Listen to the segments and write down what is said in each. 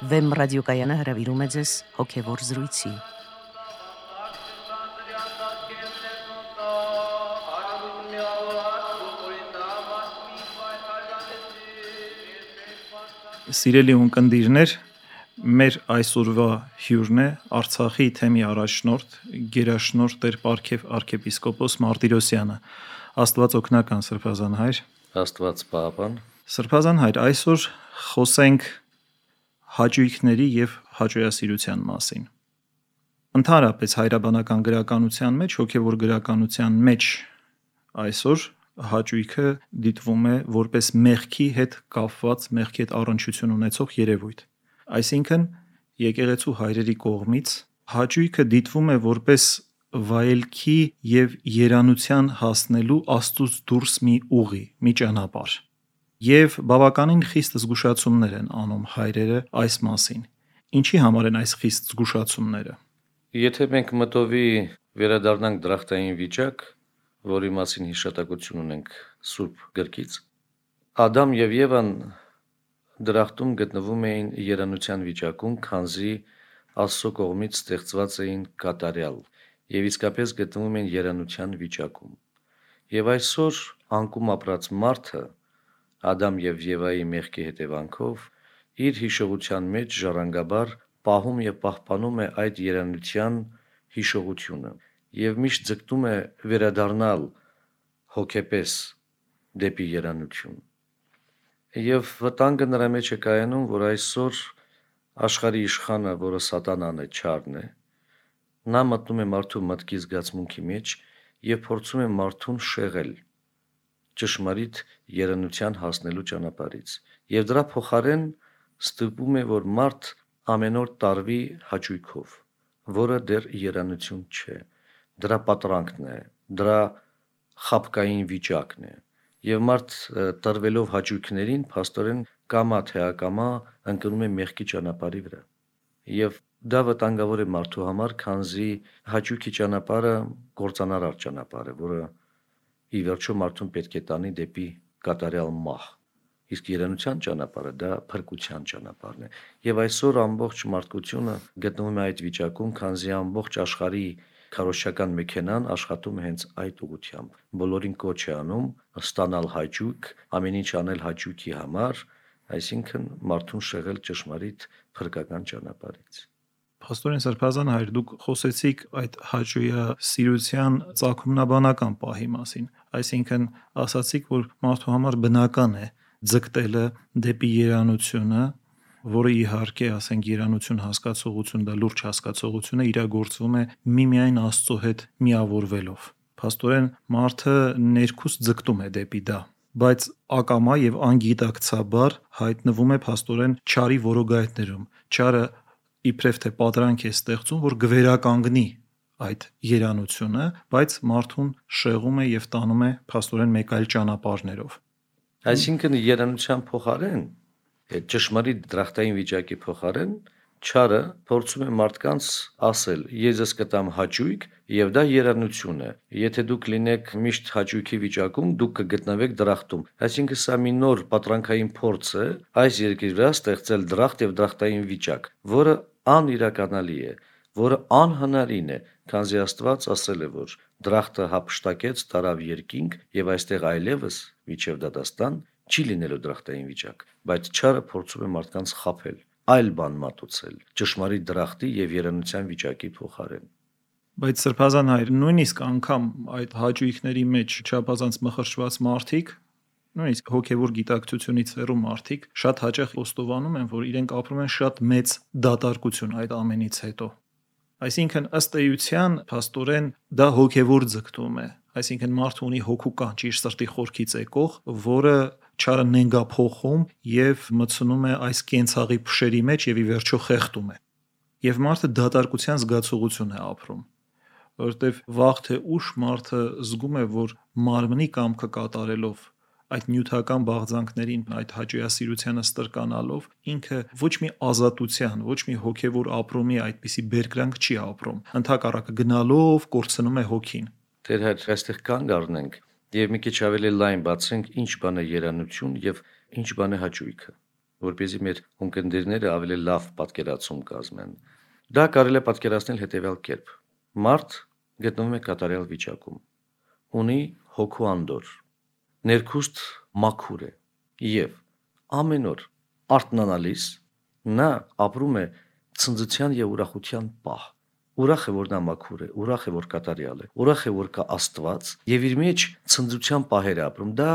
Վեմ ռադիոկայանը հրավիրում է ձեզ հոգևոր զրույցի։ Սիրելի ունկնդիրներ, մեր այսօրվա հյուրն է Արցախի թեմի առաջնորդ, գերաշնորհ Տեր Պարքև arczepiskopos Մարտիրոսյանը։ Աստված օգնական, Սրբազան հայր։ Աստված պահապան։ Սրբազան հայր, այսօր խոսենք հաճույքների եւ հաճոյասիրության մասին։ Ընդհանրապես հայրաբանական գրականության մեջ, հոգևոր գրականության մեջ այսօր հաճույքը դիտվում է որպես մեղքի հետ կապված, մեղքի հետ առնչություն ունեցող երևույթ։ Այսինքն, եկեղեցու հայրերի կողմից հաճույքը դիտվում է որպես վայելքի եւ երանության հասնելու Աստծուց դուրս մի ուղի, մի ճանապարհ։ Եվ բավականին խիստ զգուշացումներ են անում հայրերը այս մասին։ Ինչի համար են այս խիստ զգուշացումները։ Եթե մենք մտովի վերադառնանք դրախտային վիճակ, որի մասին հիշատակություն ունենք Սուրբ գրքից, Ադամ եւ Եվան դրախտում գտնվում էին երանության վիճակում, քանզի Աստծո կողմից ստեղծված էին կատարյալ եւ իսկապես գտնվում են երանության վիճակում։ Եվ այսօր անկում ապրած մարդը Ադամ եւ Եվայի մեղքի հետևանքով իր հիշողության մեջ ժառանգաբար պահում եւ պահպանում է այդ երանության հիշողությունը եւ միշտ ձգտում է վերադառնալ հոգեպես դեպի երանություն։ Եվ վտանգը նրա մեջ է կայանում, որ այսօր աշխարհի իշխանը, որը սատանան է, չարն է, նա մտնում է մարդու մտքի զգացմունքի մեջ եւ փորձում է մարդուն շեղել ճշմարիտ երանության հասնելու ճանապարհից։ Եվ դրա փոխարեն ստիպում է, որ մարդ ամեն օր տարվի հաճույքով, որը դեռ երանություն չէ, դրա պատրանքն է, դրա խաբկային վիճակն է։ Եվ մարդ տրվելով հաճույքներին, փաստորեն կամա թե ակամա ընկնում է մեղքի ճանապարհի վրա։ Եվ դա վտանգավոր է մարդու համար, քանզի հաճույքի ճանապարհը կործանարար ճանապարհ է, որը ի վերջո մարդուն պետք է տանի դեպի կատարյալ մահ։ Իսկ երանության ճանապարհը դա փրկության ճանապարհն է։ Եվ այսօր ամբողջ մարդկությունը գտնվում է այդ վիճակում, քանզի ամբողջ աշխարհի քարոզչական մեքենան աշխատում է հենց այդ ուղղությամբ։ Բոլորին կոչ է անում ստանալ հաճույք, ամեն ինչ անել հաճույքի համար, այսինքն մարդուն շեղել ճշմարիտ փրկական ճանապարհից։ Պաստորեն Սրբազան հայր, դուք խոսեցիք այդ հաճոյասիրության ծագումնաբանական պահի մասին, այսինքն ասացիք, որ մարդու համար բնական է ձգտելը դեպի երանությունը, որը իհարկե, ասենք, երանություն հասկացողություն, դա լուրջ հասկացողություն է, իրագործվում է միմիայն Աստծո հետ միավորվելով։ Պաստորեն մարդը ներքուստ ձգտում է դեպի դա, բայց ակամա եւ անգիտակցաբար հայտնվում է պաստորեն չարի որոգայթներում։ Չարը իբրև թե պատրանք է ստեղծում, որ գվերականգնի այդ երանությունը, բայց մարդուն շեղում է եւ տանում է փաստորեն մեկ այլ ճանապարհներով։ Այսինքն երանության փոխարեն, այդ ճշմարիտ դրախտային վիճակի փոխարեն, չարը փորձում է մարդկանց ասել. ես կտամ հաճույք եւ դա երանություն է։ Եթե դուք լինեք միշտ հաճույքի վիճակում, դուք կգտնվեք դրախտում։ Այսինքն սա մի նոր պատրանքային փորձ է այս երկրի վրա ստեղծել դրախտ եւ դրախտային վիճակ, որը անիրականալի է, որը անհնարին է, քանզի Աստված ասել է, որ դրախտը հափշտակեց, տարավ երկինք եւ այստեղ այլևս միջև դատաստան չի լինելու դրախտային վիճակ, բայց չարը փորձում է մարդկանց խաբել, այլ բան մատուցել, ճշմարիտ դրախտի եւ երանության վիճակի փոխարեն։ Բայց Սրբազան հայր, նույնիսկ անգամ այդ հաճույքների մեջ չափազանց մխրճված մարդիկ, նույնիսկ հոգևոր գիտակցությունից հեռու մարդիկ շատ հաճախ խոստովանում են, որ իրենք ապրում են շատ մեծ դատարկություն այդ ամենից հետո։ Այսինքն ըստ էության փաստորեն դա հոգևոր ձգտում է, այսինքն մարդը ունի հոգու կանչ իր սրտի խորքից եկող, որը չարը նենգափոխում եւ մտցնում է այս կենցաղի փշերի մեջ եւ ի վերջո խեղդում է։ Եվ մարդը դատարկության զգացողություն է ապրում, որովհետեւ վաղ թե ուշ մարդը զգում է, որ մարմնի կամքը կատարելով այդ նյութական բաղձանքներին, այդ հաճոյասիրությանը ստրկանալով ինքը ոչ մի ազատության, ոչ մի հոգևոր ապրումի այդպիսի բերկրանք չի ապրում։ Ընդհակառակը գնալով կորցնում է հոգին։ Տեր հայր, այստեղ կանգ առնենք եւ մի քիչ ավելի լայն բացենք ինչ բան է երանություն եւ ինչ բան է հաճույքը։ որպեսզի մեր ունկնդիրները ավելի լավ պատկերացում կազմեն։ Դա կարելի է պատկերացնել հետևյալ կերպ. մարդ գտնվում է կատարյալ վիճակում, ունի հոգու անդոր, ներքուստ մաքուր է եւ ամեն օր արթնանալիս նա ապրում է ցնծության եւ ուրախության պահ։ Ուրախ է, որ նա մաքուր է, ուրախ է, որ կատարյալ է, ուրախ է, որ կա Աստված եւ իր մեջ ցնծության պահեր է ապրում։ Դա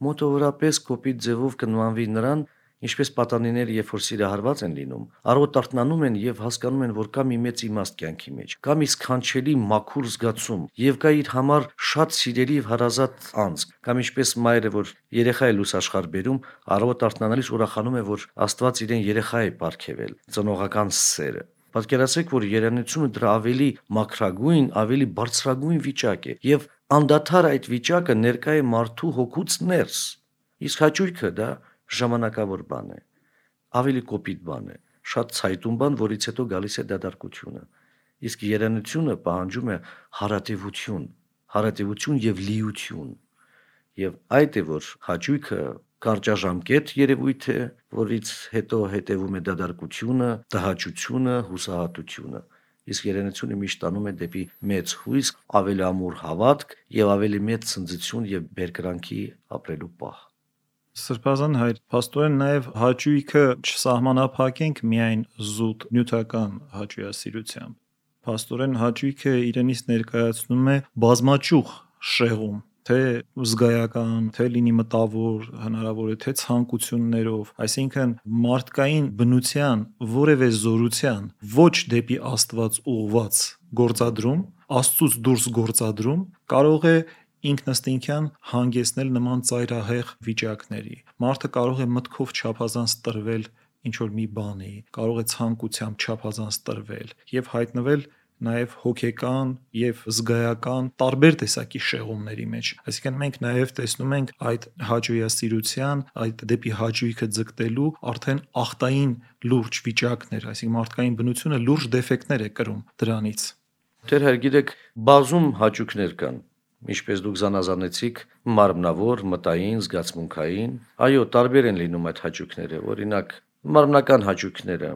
մոտավորապես կոպիտ ձևով կնմանվի նրան, ինչպես պատանիները, երբ որ սիրահարված են լինում, առօր արթնանում են եւ հասկանում են, որ կա մի մեծ իմաստ կյանքի մեջ, կա մի սքանչելի մաքուր զգացում եւ կա իր համար շատ սիրելի եւ հարազատ անձ, կամ ինչպես մայրը, որ երեխա է լուսաշխարհ բերում, առօր արթնանալիս ուրախանում է, որ Աստված իրեն երեխա է պարգևել, ծնողական սերը։ Պատկերացրեք, որ երանությունը դրա ավելի մաքրագույն, ավելի բարձրագույն վիճակ է եւ անդադար այդ վիճակը ներկա է մարդու հոգուց ներս։ Իսկ հաճույքը դա ժամանակավոր բան է, ավելի կոպիտ բան է, շատ ցայտուն բան, որից հետո գալիս է դատարկությունը։ Իսկ երանությունը պահանջում է հարատևություն եւ լիություն։ Եվ այդ է, որ հաճույքը կարճաժամկետ երևույթ է, որից հետո հետևում է դատարկությունը, տհաճությունը, հուսահատությունը։ Իսկ երանությունը միշտ տանում է դեպի մեծ հույս, ավելի ամուր հավատք եւ ավելի մեծ ցնծություն եւ բերկրանքի ապրելու պահ։ Սրբազան հայր, փաստորեն նաև հաճույքը չսահմանափակենք միայն զուտ նյութական հաճույասիրությամբ։ Փաստորեն հաճույքը իրենից ներկայացնում է բազմաճյուղ շեղում, թե զգայական, թե լինի մտավոր, հնարավոր է թե ցանկություններով, այսինքն մարդկային բնության որևէ զորության ոչ դեպի Աստված ուղված գործադրում, Աստծուց դուրս գործադրում կարող է ինքնըստինքյան հանգեցնել նման ծայրահեղ վիճակների։ Մարդը կարող է մտքով չափազանց տրվել ինչ-որ մի բանի, կարող է ցանկությամբ չափազանց տրվել եւ հայտնվել նաև հոգեկան եւ զգայական տարբեր տեսակի շեղումների մեջ։ Այսինքն մենք նաև տեսնում ենք այդ հաճույասիրության, այդ դեպի հաճույքը ձգտելու արդեն ախտային լուրջ վիճակներ, այսինքն մարդկային բնությունը լուրջ դեֆեկտներ է կրում դրանից։ Դեր հայր գիտեք, բազում հաճույքներ կան, ինչպես դուք զանազանեցիք, մարմնավոր, մտային, զգացմունքային։ Այո, տարբեր են լինում այդ հաճույքները, օրինակ, մարմնական հաճույքները,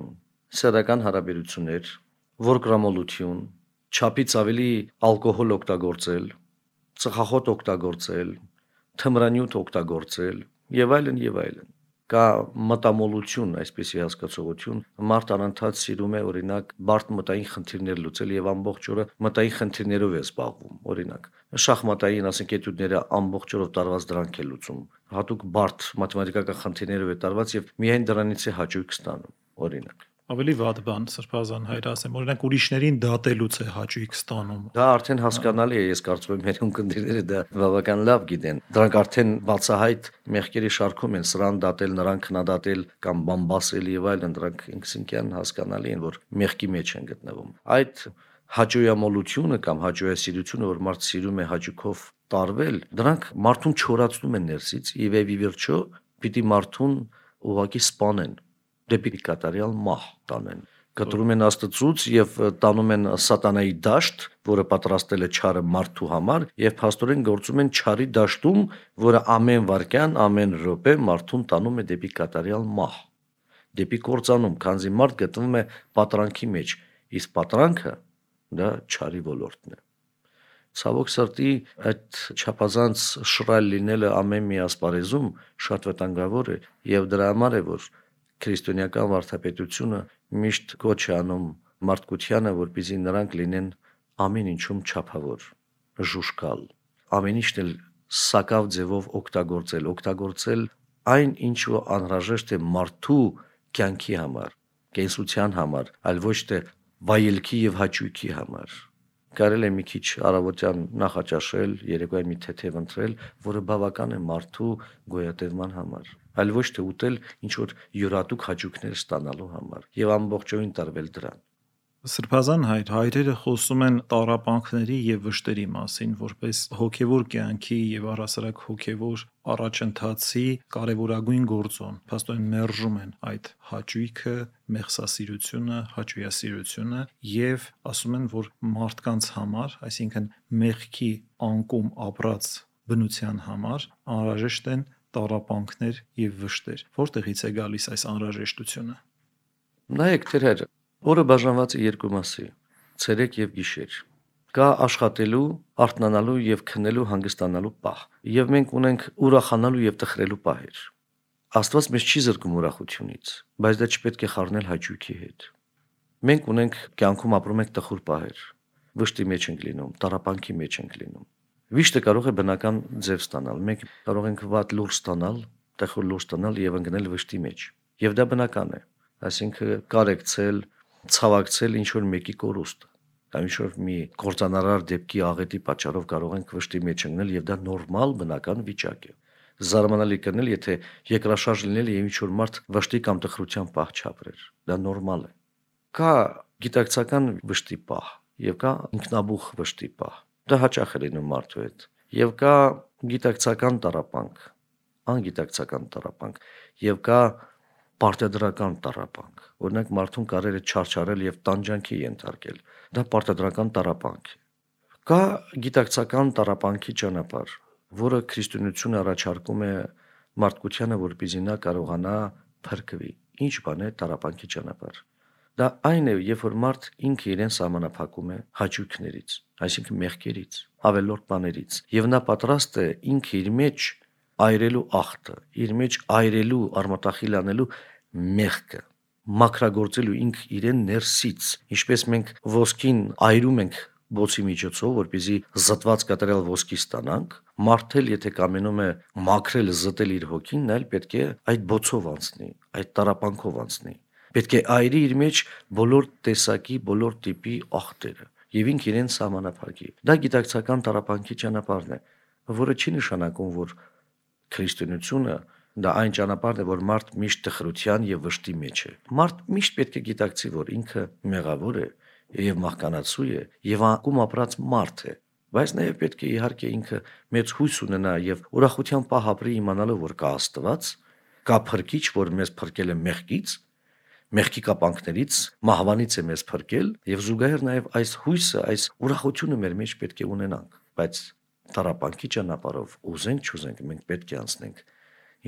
սեռական հարաբերություններ, որկրամոլություն, չափից ավելի ալկոհոլ օգտագործել, ծխախոտ օգտագործել, թմրանյութ օգտագործել եւ այլն եւ այլն։ Կա մտամոլություն, այսպիսի հասկացողություն, մարդ անընդհատ սիրում է օրինակ բարդ մտային խնդիրներ լուծել եւ ամբողջ օրը մտային խնդիրներով է զբաղվում, օրինակ շախմատային, ասենք, էտյուդները ամբողջ օրով տարված դրանք է լուծում, հատուկ բարդ մաթեմատիկական խնդիրներով է տարված եւ միայն դրանից է հաճույք ստանում, օրինակ։ Ավելի վատ բան, սրբազան հայր ասեմ, օրինակ ուրիշներին դատելուց է հաճույք ստանում։ Դա արդեն հասկանալի է, ես կարծում եմ մեր ունկնդիրները դա բավական լավ գիտեն։ Դրանք արդեն բացահայտ մեղքերի շարքում են, սրան դատել, նրան քննադատել կամ բամբասել եւ այլն, դրանք ինքնին հասկանալի են, որ մեղքի մեջ են գտնվում։ Այդ հաճոյամոլությունը կամ հաճոյասիրությունը, որ մարդ սիրում է հաճույքով տարվել, դրանք մարդուն չորացնում են ներսից եւ ի վերջո պիտի մարդուն ուղղակի սպանեն, դեպի կատարյալ մահ տանեն։ Կտրում են Աստծուց եւ տանում են սատանայի դաշտ, որը պատրաստել է չարը մարդու համար, եւ փաստորեն գործում են չարի դաշտում, որը ամեն վարքյան, ամեն րոպե մարդուն տանում է դեպի կատարյալ մահ, դեպի կործանում, քանզի մարդ գտնվում է պատրանքի մեջ, իսկ պատրանքը դա չարի ոլորտն է։ Ցավոք սրտի այդ չափազանց շռայլ լինելը ամեն մի ասպարեզում շատ վտանգավոր է եւ դրա համար է, որ քրիստոնեական վարդապետությունը միշտ կոչ է անում մարդկությանը, որպեսզի նրանք լինեն ամեն ինչում չափավոր, ժուշկալ, ամեն ինչն էլ սակավ ձևով օգտագործել այն, ինչ որ անհրաժեշտ է մարդու կյանքի համար, կենսության համար, այլ ոչ թե վայելքի եւ հաճույքի համար։ Կարելի է մի քիչ առավոտյան նախաճաշել, երեկոյան մի թեթև ընտրել, որը բավական է մարդու գոյատևման համար, այլ ոչ թե ուտել ինչ որ յուրատուկ հաճույքներ ստանալու համար եւ ամբողջովին տարվել դրան։ Սրբազան հայր, հայրերը խոսում են տառապանքների եւ վշտերի մասին, որպես հոգեվոր կյանքի եւ առասարակ հոգեվոր առաջընթացի կարևորագույն գործոն։ Փաստորեն մերժում են այդ հաճույքը, մեղսասիրությունը, հաճույասիրությունը եւ ասում են, որ մարդկանց համար, այսինքն մեղքի անկում ապրած բնության համար անհրաժեշտ են տառապանքներ եւ վշտեր։ Որտեղից է գալիս այս անհրաժեշտությունը։ Նայեք թերեր, օրը բաժանված է երկու մասի՝ ցերեկ եւ գիշեր։ Կա աշխատելու, արթնանալու եւ քնելու հանգստանալու պահ, եւ մենք ունենք ուրախանալու եւ տխրելու պահեր։ Աստված մեզ չի զրկում ուրախությունից, բայց դա չպետք է խառնել հաճույքի հետ։ Մենք ունենք կյանքում ապրում ենք տխուր պահեր, վշտի մեջ ենք լինում, տառապանքի մեջ ենք լինում։ Վիշտը կարող է բնական ձև ստանալ, մենք կարող ենք վատ լուր ստանալ, տխուր լուր ստանալ եւ ընկնել վշտի մեջ։ Եվ դա բնական է, այսինքն կարեկցել, ցավակցել ինչ որ մեկի կորուստ, կամ ինչ որ մի կործանարար դեպքի աղետի պատճառով կարող ենք վշտի մեջ ընկնել եւ դա նորմալ բնական վիճակ է։ Զարմանալի կներ, եթե երկրաշարժ լինել եւ ինչ որ մարդ վշտի կամ տխրության պահ չապրեր։ Դա նորմալ է։ Կա գիտակցական վշտի պահ եւ կա ինքնաբուխ վշտի պահ։ Դա հաճախ է լինում մարդու հետ։ Եվ կա գիտակցական տառապանք, անգիտակցական տառապանք եւ կա պարտադրական տառապանք։ Օրինակ մարդուն կարել է չարչարել եւ տանջանքի ենթարկել։ Դա պարտադրական տառապանք է։ Կա գիտակցական տառապանքի ճանապարհ, որը քրիստոնեությունը առաջարկում է մարդկությանը, որպեսզի նա կարողանա փրկվի։ Ինչ բան է տառապանքի ճանապարհ։ Դա այն է, երբ որ մարդ ինքը իրեն սահմանափակում է հաճույքներից, այսինքն մեղքերից, ավելորդ բաներից, եւ նա պատրաստ է ինքը իր մեջ այրելու ախտը, իր մեջ այրելու, արմատախիլ անելու մեղքը, մաքրագործելու ինքը իրեն ներսից, ինչպես մենք ոսկին այրում ենք բոցի միջոցով, որպեսզի զտված կատարյալ ոսկի ստանանք, մարդել եթե կամենում է մաքրել, զտել իր հոգին, նա էլ պետք է այդ բոցով անցնի, այդ տառապանքով անցնի։ Պետք է այրի իր մեջ բոլոր տեսակի, բոլոր տիպի ախտերը եւ ինքը իրեն սահմանափակի։ Դա գիտակցական տառապանքի ճանապարհն է, որը չի նշանակում, որ քրիստոնեությունը դա այն ճանապարհն է, որ մարդ միշտ տխրության եւ վշտի մեջ է։ Մարդ միշտ պետք է գիտակցի, որ ինքը մեղավոր է եւ մահկանացու է եւ անկում ապրած մարդ է, բայց նաեւ պետք է իհարկե ինքը մեծ հույս ունենա եւ ուրախության պահ ապրի իմանալով, որ կա Աստված, կա Փրկիչ, որ մեզ փրկել է մեղքից, մեղքի կապանքներից, մահվանից է մեզ փրկել եւ զուգահեռ նաեւ այս հույսը, այս ուրախությունը մեր մեջ պետք է ունենանք, բայց տառապանքի ճանապարհով ուզենք չուզենք մենք պետք է անցնենք,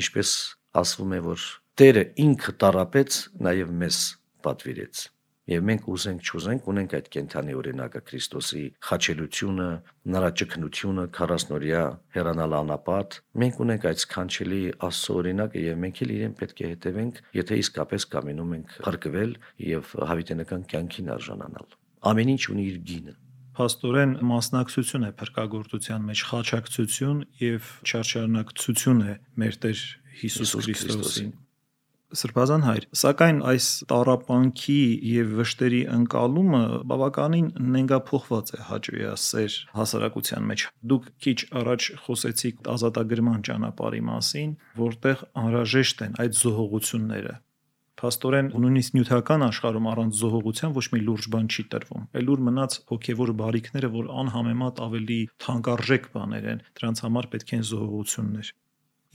ինչպես ասվում է, որ Տերը ինքը տառապեց, նաեւ մեզ պատվիրեց։ Եվ մենք ուզենք չուզենք ունենք այդ կենթանի օրինակը Քրիստոսի խաչելությունը, նրա ճգնությունը, 40-օրյա հեռանալ անապատ, մենք ունենք այդ սքանչելի Աստծո օրինակը եւ մենք էլ իրեն պետք է հետևենք, եթե իսկապես կամենում ենք փրկվել եւ հավիտենական կյանքին արժանանալ։ Ամեն ինչ ունի իր գինը։ Փաստորեն մասնակցություն է փրկagorցության մեջ, խաչակցություն եւ չարչարնակցություն է մեր Տեր Հիսուս Քրիստոսին։ Սրբազան հայր, սակայն այս տառապանքի եւ վշտերի ընկալումը բավականին նենգափոխված է հաճոյասեր հասարակության մեջ։ Դուք քիչ առաջ խոսեցիք ազատագրման ճանապարհի մասին, որտեղ անհրաժեշտ են այդ զոհողությունները։ Փաստորեն նույնիսկ նյութական աշխարհում առանց զոհողության ոչ մի լուրջ բան չի տրվում։ Այլուր մնաց հոգեվոր բարիքները, որ անհամեմատ ավելի թանկարժեք բաներ են, դրանց համար պետք են զոհողություններ։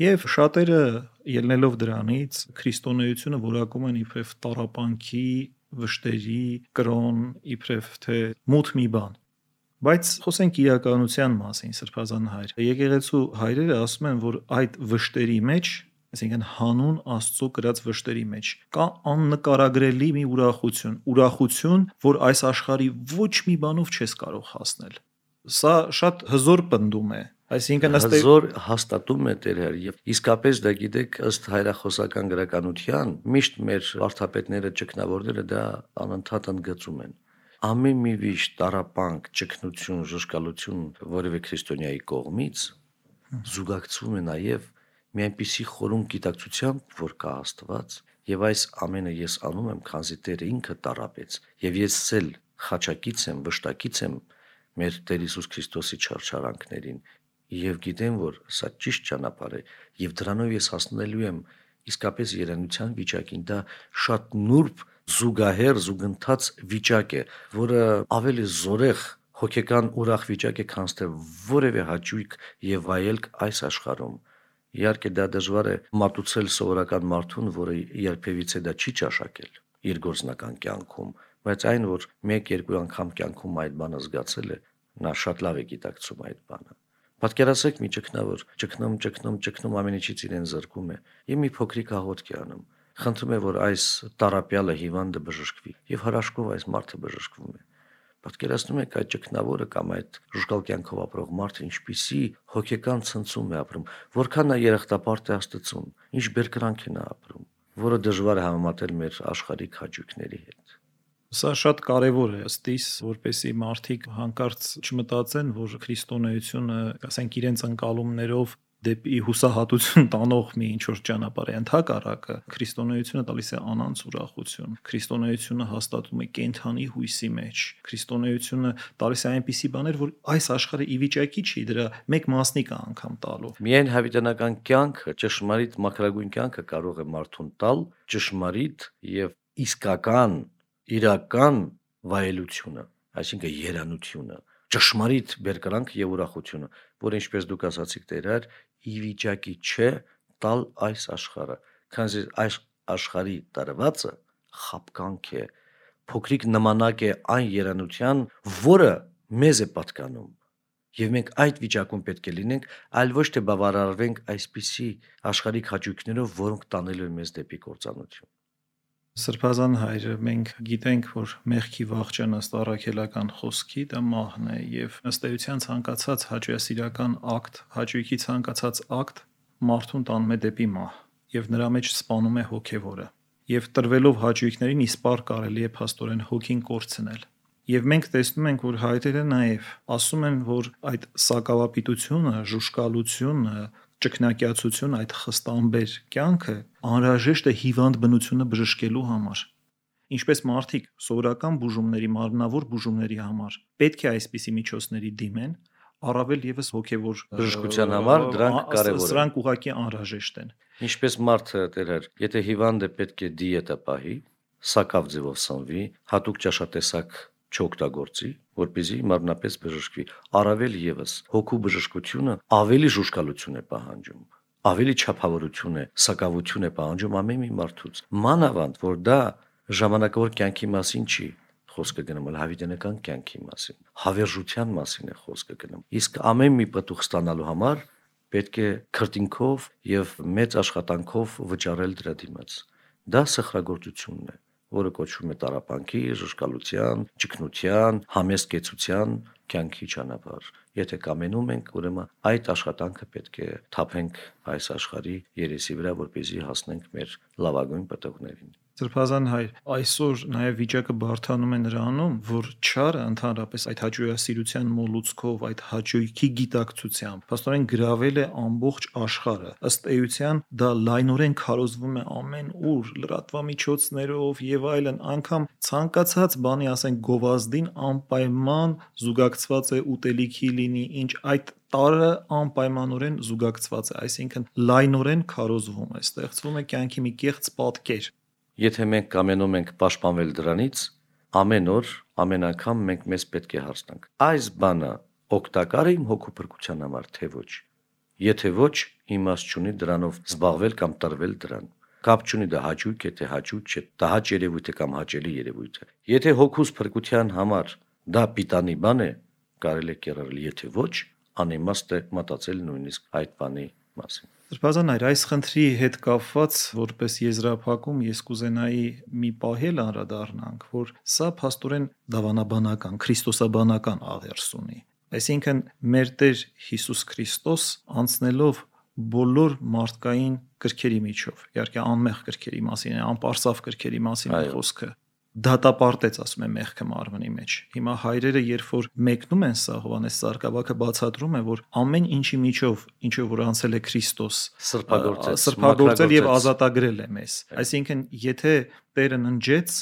Եվ շատերը ելնելով դրանից քրիստոնեությունը որակում են իբրև տառապանքի, վշտերի, կրոն, իբրև թե մութ մի բան։ Բայց խոսենք իրականության մասին, Սրբազան հայր։ Եկեղեցու հայրերը ասում են, որ այդ վշտերի մեջ, այսինքն հանուն Աստծո կրած վշտերի մեջ, կա աննկարագրելի մի ուրախություն, որ այս աշխարհի ոչ մի բանով չես կարող հասնել։ Սա շատ հզոր պնդում է։ Այսինքն հզոր հաստատում է Տերը եւ իսկապես դա գիտեք ըստ հայրախոսական գրականության միշտ մեր վարդապետները ճգնավորները դա անընդհատ ընդգծում են ամեն մի վիշտ տառապանք ճգնություն ժշկալություն որևէ քրիստոնյայի կողմից զուգակցվում է նաեւ մի այնպիսի խորուն գիտակցությամբ որ կա Աստված եւ այս ամենը ես անում եմ քանզի Տերը ինքը տառապեց եւ ես ցել խաչակից եմ վշտակից եմ մեր Տեր Հիսուս Քրիստոսի չարչարանքներին Եվ գիտեմ, որ սա ճիշտ ճանապարհ է, եւ դրանով ես հասնելու եմ իսկապես երանության վիճակին, դա շատ նուրբ զուգահեռ զուգընթաց վիճակ է, որը ավելի զորեղ հոգեկան ուրախ վիճակ է, քան թե որևէ հաճույք եւ վայելք այս աշխարհում։ Իհարկե դա դժվար է մատուցել սովորական մարդուն, որը երբևիցե դա չի ճաշակել իր գործնական կյանքում, բայց այն, որ 1-2 անգամ կյանքում այդ բանը զգացել է, նա շատ լավ է գիտակցում այդ բանը։ Պատկերացրեք մի ճգնավոր, ճգնում ամեն ինչից իրեն զրկում է, եւ մի փոքրիկ աղոթք է անում։ Խնդրում է, որ այս տարապյալը հիվանդը բժշկվի, եւ հրաշքով այս մարդը բժշկվում է։ Պատկերացնում եք այդ ճգնավորը կամ այդ ժուժկալ կյանքով ապրող մարդը ինչպիսի հոգեկան ցնցում է ապրում, որքան նա երախտապարտ է Աստծուն, ինչ բերկրանք է նա ապրում, որը դժվար է համեմատել մեր աշխարհիկ հաճույքների հետ։ Սա շատ կարևոր է ըստիս, որպեսզի մարդիկ հանկարծ չմտածեն, որ քրիստոնեությունը, ասենք, իրենց ընկալումներով դեպի հուսահատություն տանող մի ինչ-որ ճանապարհ է, ընդհակառակը քրիստոնեությունը տալիս է անանց ուրախություն, քրիստոնեությունը հաստատում է կենդանի հույսի մեջ, քրիստոնեությունը տալիս է այնպիսի բաներ, որ այս աշխարհը ի վիճակի չի դրա մեկ մասնիկը անգամ տալու։ Միայն հավիտենական կյանքը, ճշմարիտ մաքրագույն կյանքը կարող է մարդուն տալ ճշմարիտ եւ իսկական իրական վայելությունը, այսինքն երանությունը, ճշմարիտ բերկրանք եւ ուրախությունը, որ ինչպես դուք ասացիք Տեր, ի վիճակի չէ տալ այս աշխարհը, քանզի այս աշխարհի տարվածը խապկանք է, փոքրիկ նմանակ է այն երանության, որը մեզ է պատկանում։ Եվ մենք այդ վիճակում պետք է լինենք, այլ ոչ թե բավարարվենք այսպիսի աշխարհիկ հաճույքներով, որոնք տանել են մեզ դեպի կործանություն։ Սրբազան հայրը, մենք գիտենք, որ մեղքի վախճանը ըստ առաքելական խոսքի դա մահն է, եւ ըստ էության ցանկացած հաճույասիրական ակտ, հաճույքի ցանկացած ակտ մարդուն տանում է դեպի մահ, եւ նրա մեջ սպանում է հոգեվորը։ Եվ տրվելով հաճույքներին իսպառ կարելի է փաստորեն հոգին կորցնել։ Եվ մենք տեսնում ենք, որ հայրերը նաև ասում են, որ այդ սակավապիտությունը, ժուժկալությունը, ճկնակյացություն, այդ խստամբեր կյանքը անհրաժեշտ է հիվանդ բնությունը բժշկելու համար։ Ինչպես մարդիկ սովորական բուժումների, մարմնավոր բուժումների համար պետք է այսպիսի միջոցների դիմեն, առավել եւս հոգեվոր բժշկության համար դրանք կարևոր են։ Սրանք ուղղակի անհրաժեշտ են։ Ինչպես մարդը Տեր, եթե հիվանդը պետք է դիետա պահի, սակավ ձևով սնվի, հատուկ ճաշատեսակ չօգտագործի, որպեսզի մարմնապես բժշկվի, առավել եւս հոգու բժշկությունը ավելի ժուժկալություն է պահանջում, ավելի չափավորություն է, սակավություն է պահանջում ամեն մի մարդուց։ Մանավանդ, որ դա ժամանակավոր կյանքի մասին չի խոսքը գնում, այլ հավիտենական կյանքի մասին, հավերժության մասին է խոսքը գնում։ Իսկ ամեն մի պտուղ ստանալու համար պետք է քրտինքով եւ մեծ աշխատանքով վճարել դրա դիմաց։ Դա սխրագործությունն է, որը կոչվում է տառապանքի, ժուժկալության, ճգնության, համեստ կեցության կյանքի ճանապարհ։ Եթե կամենում ենք, ուրեմն այդ աշխատանքը պետք է թափենք այս աշխարհի երեսի վրա, որպեսզի հասնենք մեր լավագույն պտուղներին։ Սրբազան հայր, այսօր նաև վիճակը բարդանում է նրանում, որ չարը ընդհանրապես այդ հաճույասիրության մոլուցքով, այդ հաճույքի գիտակցությամբ, փաստորեն գրավել է ամբողջ աշխարհը։ Ըստ էության դա լայնորեն քարոզվում է ամեն ուր, լրատվամիջոցներով եւ այլն, անգամ ցանկացած բանի, ասենք գովազդին անպայման զուգակցված է ուտելիքի լինի, ինչ այդ տարը անպայմանորեն զուգակցված է, այսինքն լայնորեն քարոզվում է, ստեղծվում է կյանքի մի կեղծ պատկեր։ Եթե մենք կամենում ենք պաշտպանվել դրանից, ամեն օր, ամեն անգամ մենք մեզ պետք է հարց տանք. այս բանը օգտակար է իմ հոգու փրկության համար, թե ոչ։ Եթե ոչ, իմաստ չունի դրանով զբաղվել կամ տրվել դրան։ Կապ չունի դա հաճույք է, թե հաճույք չէ, դա հաճ երևույթ է կամ հաճելի երևույթ է։ Եթե հոգուս փրկության համար դա պիտանի բան է, կարելի է կերել, եթե ոչ, անիմաստ է մտածել նույնիսկ այդ բանի մասին։ Սրբազան հայր, այս խնդրի հետ կապված, որպես եզրափակում, ես կուզենայի մի պահել անդրադառնանք, որ սա փաստորեն դավանաբանական, քրիստոսաբանական աղերս ունի։ Այսինքն մեր Տեր Հիսուս Քրիստոս անցնելով բոլոր մարդկային կրքերի միջով, իհարկե անմեղ կրքերի մասին է, անպարսավ կրքերի մասին է խոսքը, դատապարտեց, ասում է, մեղքը մարմնի մեջ։ Հիմա հայրերը, երբ որ մեկնում են սա, Հովհաննես Սարգսակյանը բացատրում է, որ ամեն ինչի միջով, ինչով որ անցել է Քրիստոս, սրբագործել եւ ազատագրել է մեզ։ Այսինքն, եթե Տերը ննջեց,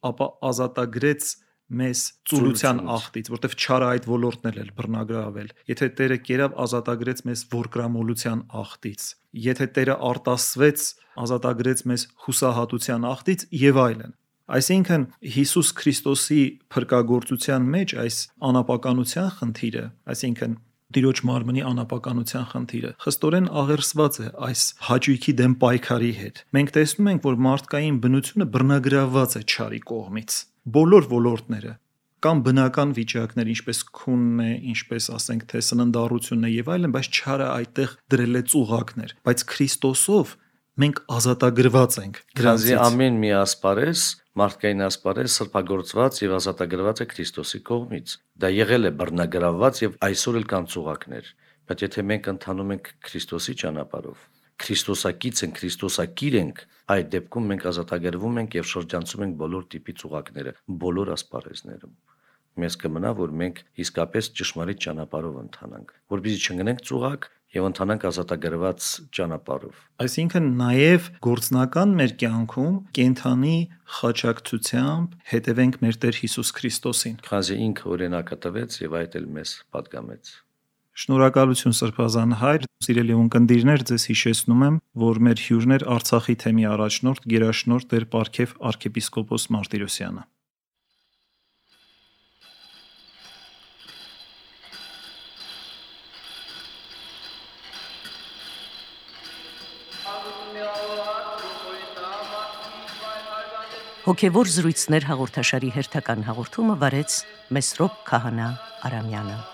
ապա ազատագրեց մեզ ծուլության աղտից, որտեվ չարը այդ ոլորտն էլ բռնագրավել։ Եթե Տերը կերավ, ազատագրեց մեզ ворկրամոլության աղտից։ Եթե Տերը արտասվեց, ազատագրեց մեզ հուսահատության աղտից եւ այլն։ Այսինքն Հիսուս Քրիստոսի փրկagorցության մեջ այս անապականության խնդիրը, այսինքն Տիրոջ մարմնի անապականության խնդիրը խստորեն աղերսված է այս հաճույքի դեմ պայքարի հետ։ Մենք տեսնում ենք, որ մարդկային բնությունը բռնագրաված է չարի կողմից։ Բոլոր ոլորտները, Կամ բնական վիճակներ, ինչպես քունն է, ինչպես ասենք թե սննդառությունն է եւ այլն, բայց չարը այդտեղ դրել է ծուղակներ, բայց Քրիստոսով մենք ազատագրված ենք Քանզի ամեն մի ասպարեզ, մարդկային ասպարեզ սրբագործված եւ ազատագրված է Քրիստոսի կողմից։ Դա եղել է բռնագրավված եւ այսօր էլ կան ծուղակներ, բայց եթե մենք ընթանում ենք Քրիստոսի ճանապարհով, Քրիստոսակից ենք, Քրիստոսակիր ենք, այդ դեպքում մենք ազատագրվում ենք եւ շրջանցում ենք բոլոր տիպի ծուղակները, բոլոր ասպարեզներում։ Մեզ կմնա, որ մենք իսկապես ճշմարիտ ճանապարհով ընթանանք, որպեսզի չընկնենք ծուղակ եւ ընթանանք ազատագրված ճանապարհով։ Այսինքն նաեւ գործնական մեր կյանքում կենթանի խաչակցությամբ հետևենք մեր Տեր Հիսուս Քրիստոսին։ Քանզի ինքը օրինակը տվեց եւ այդ էլ մեզ պատգամեց։ Շնորհակալություն Սրբազան հայր, սիրելի ունկնդիրներ, ձեզ հիշեցնում եմ, որ մեր հյուրն էր Արցախի թեմի առաջնորդ գերաշնորհ Տեր Պարքև arczepiskopos Martirosyan-ը։ Հոգևոր զրույցներ հաղորդաշարի հերթական հաղորդումը վարեց Մեսրոպ Քահանա Արամյանը։